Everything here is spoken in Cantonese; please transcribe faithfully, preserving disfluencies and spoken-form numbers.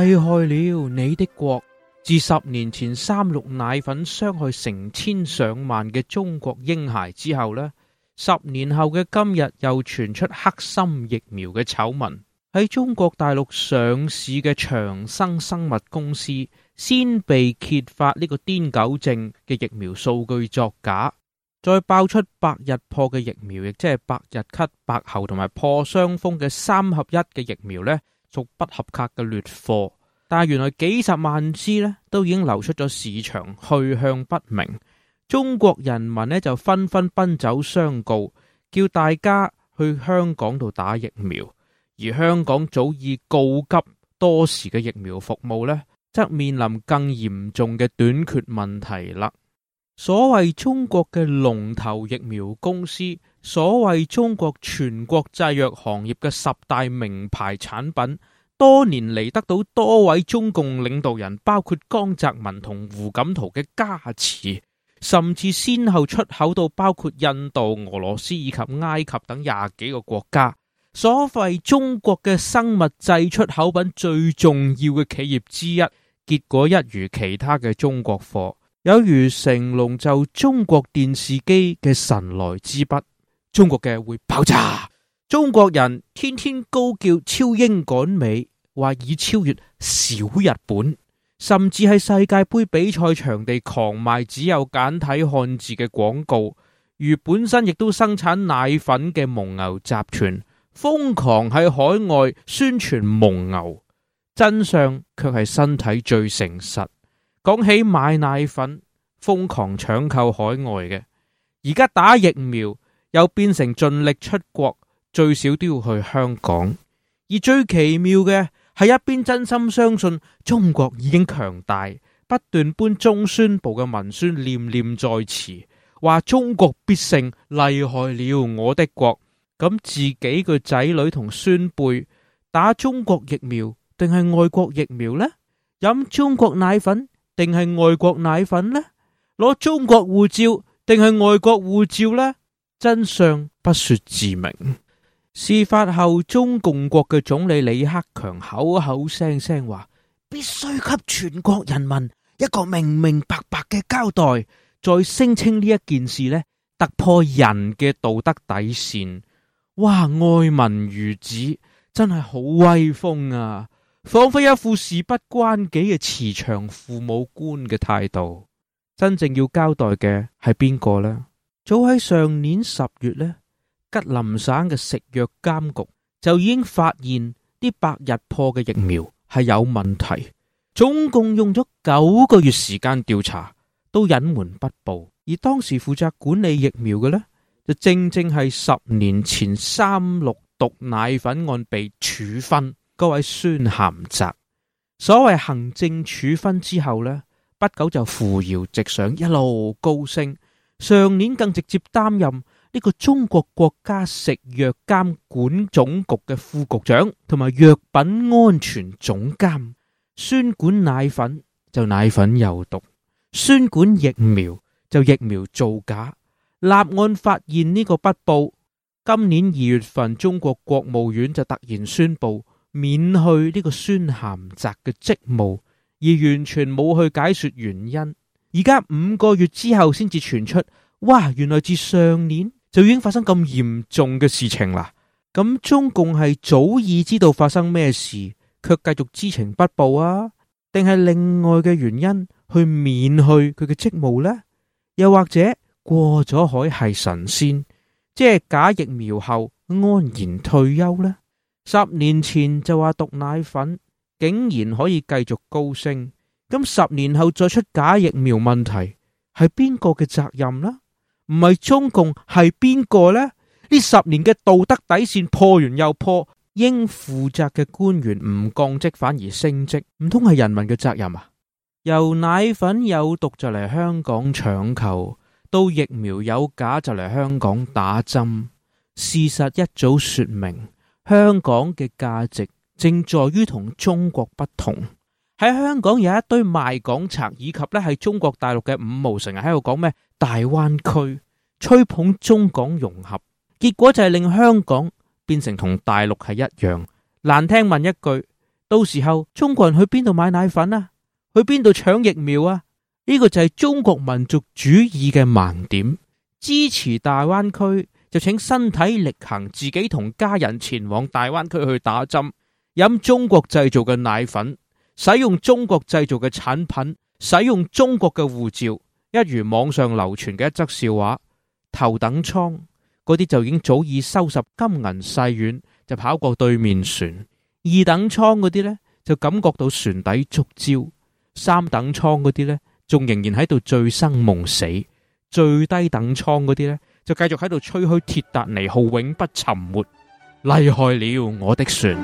厲害了你的國。自十年前三鹿奶粉傷害成千上萬嘅中國嬰孩之後呢，十年後嘅今日又傳出黑心疫苗嘅醜聞。喺中國大陸上市嘅長生生物公司先被揭發呢個癲狗症嘅疫苗數據作假，再爆出百日破嘅疫苗，亦即係百日咳、白喉同埋破傷風嘅三合一嘅疫苗呢，屬不合格嘅劣貨。但係原來幾十萬支呢都已經流出咗市場，去向不明。中國人民呢就紛紛奔走相告，叫大家去香港度打疫苗。而香港早已告急多時嘅疫苗服務呢，則面臨更嚴重嘅短缺問題啦。所謂中國嘅龍頭疫苗公司，所謂中國全國製藥行業嘅十大名牌產品，多年嚟得到多位中共領導人，包括江澤民同胡錦濤嘅加持，甚至先後出口到包括印度、俄羅斯以及埃及等廿幾個國家。所謂中國嘅生物製出口品最重要嘅企業之一，結果一如其他嘅中國貨，有如成龍就中國電視機嘅神來之筆，中國嘅會爆炸。中國人天天高叫超英趕美，話已超越小日本，甚至喺世界盃比賽場地狂賣只有簡體漢字嘅廣告，如本身亦都生產奶粉嘅蒙牛集團瘋狂喺海外宣傳蒙牛，真相卻係身體最誠實。講起買奶粉，瘋狂搶購海外嘅，而家打疫苗又變成盡力出國，最少都要去香港。而最奇妙嘅係一邊真心相信中國已經強大，不斷搬中宣部嘅文宣念念在詞，話中國必勝，厲害了我的國。咁自己個仔女同孫輩打中國疫苗定係外國疫苗呢？飲中國奶粉定係外國奶粉呢？攞中國護照定係外國護照呢？真相不說自明。事發後，中共國嘅總理李克強口口聲聲話必須給全國人民一個明明白白嘅交代，再聲稱呢一件事呢突破人嘅道德底線。哇！愛民如子，真係好威風啊！仿佛一副事不關己嘅慈祥父母官嘅態度。真正要交代嘅係邊個呢？早喺上年十月呢，吉林省嘅食藥監局就已經發現啲百日破嘅疫苗係有問題，總共用咗九個月時間調查，都隱瞞不報。而當時負責管理疫苗嘅呢，就正正係十年前三鹿毒奶粉案被處分嗰位孫咸澤。所謂行政處分之後呢，不久就扶搖直上，一路高升。上年更直接擔任呢個中國國家食藥監管總局嘅副局長同埋藥品安全總監。宣管奶粉就奶粉有毒，宣管疫苗就疫苗造假。立案發現呢個不報，今年二月份中國國務院就突然宣布免去呢個孫咸澤嘅職務，而完全冇去解說原因。而家五個月之後先至傳出，哇！原來自上年就已經發生咁嚴重嘅事情啦。咁中共係早已知道發生咩事，卻繼續知情不報啊？定係另外嘅原因去免去佢嘅職務呢？又或者過咗海係神仙，即係假疫苗後安然退休呢？十年前就話毒奶粉竟然可以繼續高升，咁十年後再出假疫苗問題，係邊個嘅責任呢？唔係中共係邊個呢？呢十年嘅道德底線破完又破，應負責嘅官員唔降職反而升職，唔通係人民嘅責任啊？由奶粉有毒就嚟香港搶購，到疫苗有假就嚟香港打針，事實一早說明，香港嘅價值正在於同中國不同。喺香港有一堆賣港賊，以及咧係中國大陸嘅五毛，成日喺度講咩大灣區，吹捧中港融合，結果就係令香港變成同大陸係一樣。難聽問一句，到時候中國人去邊度買奶粉啊？去邊度搶疫苗啊？呢個就係中國民族主義嘅盲點。支持大灣區就請身體力行，自己同家人前往大灣區去打針，飲中國製造嘅奶粉，使用中國製造嘅產品，使用中國嘅護照。一如網上流傳嘅一則笑話，頭等艙嗰啲就已經早已收拾金銀細軟，就跑過對面船。二等艙嗰啲呢，就感覺到船底觸礁。三等艙嗰啲呢，仲仍然喺度醉生夢死。最低等艙嗰啲呢，就繼續喺度吹噓鐵達尼號永不沉沒。厲害了我的船。